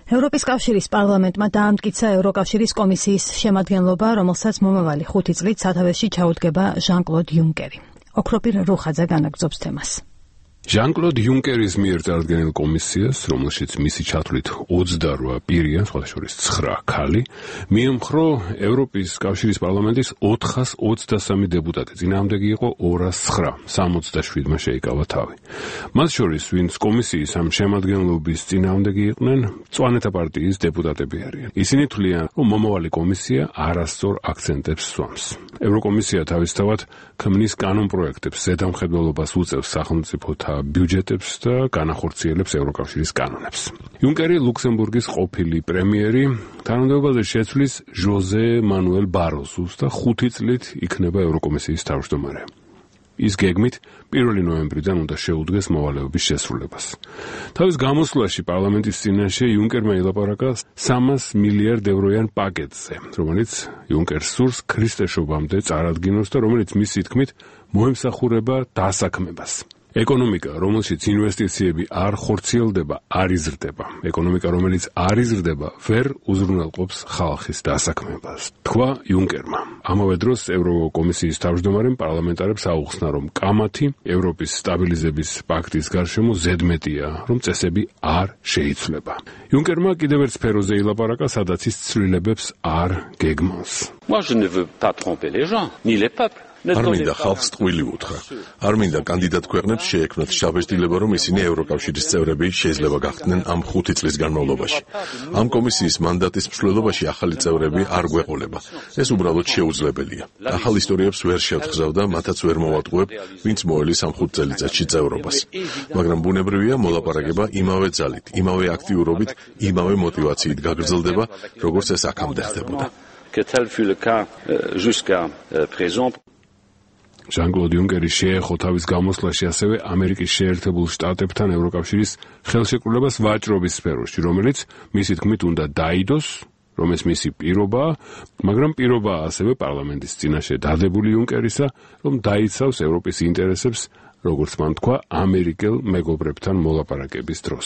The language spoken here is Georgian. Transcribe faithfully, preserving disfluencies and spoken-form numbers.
ევროპის კავშირის პარლამენტმა დაამტკიცა ევროკავშირის კომისიის შემადგენლობა, რომელსაც მომავალი ხუთი წლით სათავეში ჩაუდგება ჟან-კლოდ იუნკერი. ოქროპირ რუხაძე განაგრძობს თემას. ჟან-კლოდ იუნკერის მიერ წარდგენილ კომისიას, რომელშიც მისი ჩათვლით ოცდარვა პირია, სხვათა შორის ცხრა ქალი, მიემხრო ევროპის კავშირის პარლამენტის ოთხას ოცდასამი დეპუტატი, წინააღმდეგი იყო ორას ცხრა, სამოცდაშვიდმა შეიკავა თავი. მათ შორის, ვინც კომისიის ამ შემადგენლობის წინააღმდეგი იყვნენ, მწვანეთა პარტიის დეპუტატები არიან. ისინი თვლიან, რომ მომავალი კომისია არასწორ აქცენტებს სვამს. ევროკომისია თავისთავად ქმნის კანონპროექტებს, ზედამხედველობას უწევს სახელმწიფოთა ბიუჯეტებს და განახორციელებს ევროკავშირის კანონებს. იუნკერი ლუქსემბურგის ყოფილი პრემიერი თანამდებობაზე შეცვლის ჟოზე მანუელ ბაროზუს და ხუთი წლით იქნება ევროკომისიის თავმჯდომარე. ის გეგმით პირველი ნოემბრიდან უნდა შეუდგეს მოვალეობის შესრულებას. თავის გამოსვლაში პარლამენტის წინაშე იუნკერმა ელაპარაკა სამას მილიარდ ევროიან პაკეტზე, რომელიც იუნკერს სურს ქრისტეშობამდე წარადგინოს და რომელიც მისი თქმით მოემსახურება დასაქმებას. ეკონომიკა, რომელშიც ინვესტიციები არ ხორციელდება, არ იზრდება. ეკონომიკა, რომელიც არ იზრდება, ვერ უზრუნველყოფს ხალხის დასაქმებას, თქვა იუნკერმა. ამავე დროს ევროკომისიის თავმჯდომარემ პარლამენტარებს აუხსნა, რომ კამათი ევროპის სტაბილიზების პაქტის გარშემო ზედმეტია, რომ წესები არ შეიცვლება. იუნკერმა კიდევ ერთ სფეროზე ილაპარაკა, სადაც ის ცვლილებებს არ გეგმავს. Moi je ne veux pas tromper les gens, ni les peuples. არ მინდა ხალხს ტყუილი უთხრა. არ მინდა კანდიდატ ქვეყნებს შეექმნათ შაბეშტილება, რომ ისინი ევროკავშირის წევრები შეიძლება გახდნენ ამ ხუთი წლის განმავლობაში. ამ კომისიის მანდატის მსვლელობაში ახალი წევრები არ გვეყოლება. ეს უბრალოდ შეუძლებელია. ახალ ისტორიებს ვერ შევთხზავ და მათაც ვერ მოვატყუებ, ვინც მოელის ამ ხუთ წელიწადში წევრობას. მაგრამ ბუნებრივია მოლაპარაკება იმავე ძალით, იმავე აქტიურობით, იმავე მოტივაციით გაგრძელდება, როგორც ეს აქამდე ხდებოდა. Que tel fut le cas jusqu'à présent. ჟან-კლოდ იუნკერი შეეხო თავის გამოსვლაში ასევე ამერიკის შეერთებულ შტატებთან ევროკავშირის ხელშეკრულებას ვაჭრობის სფეროში, რომელიც მისი თქმით უნდა დაიდოს, რომ ეს მისი პირობაა, მაგრამ პირობაა ასევე პარლამენტის წინაშე დადებული იუნკერისა, რომ დაიცავს ევროპის ინტერესებს, როგორც მან თქვა, ამერიკელ მეგობრებთან მოლაპარაკების დროს.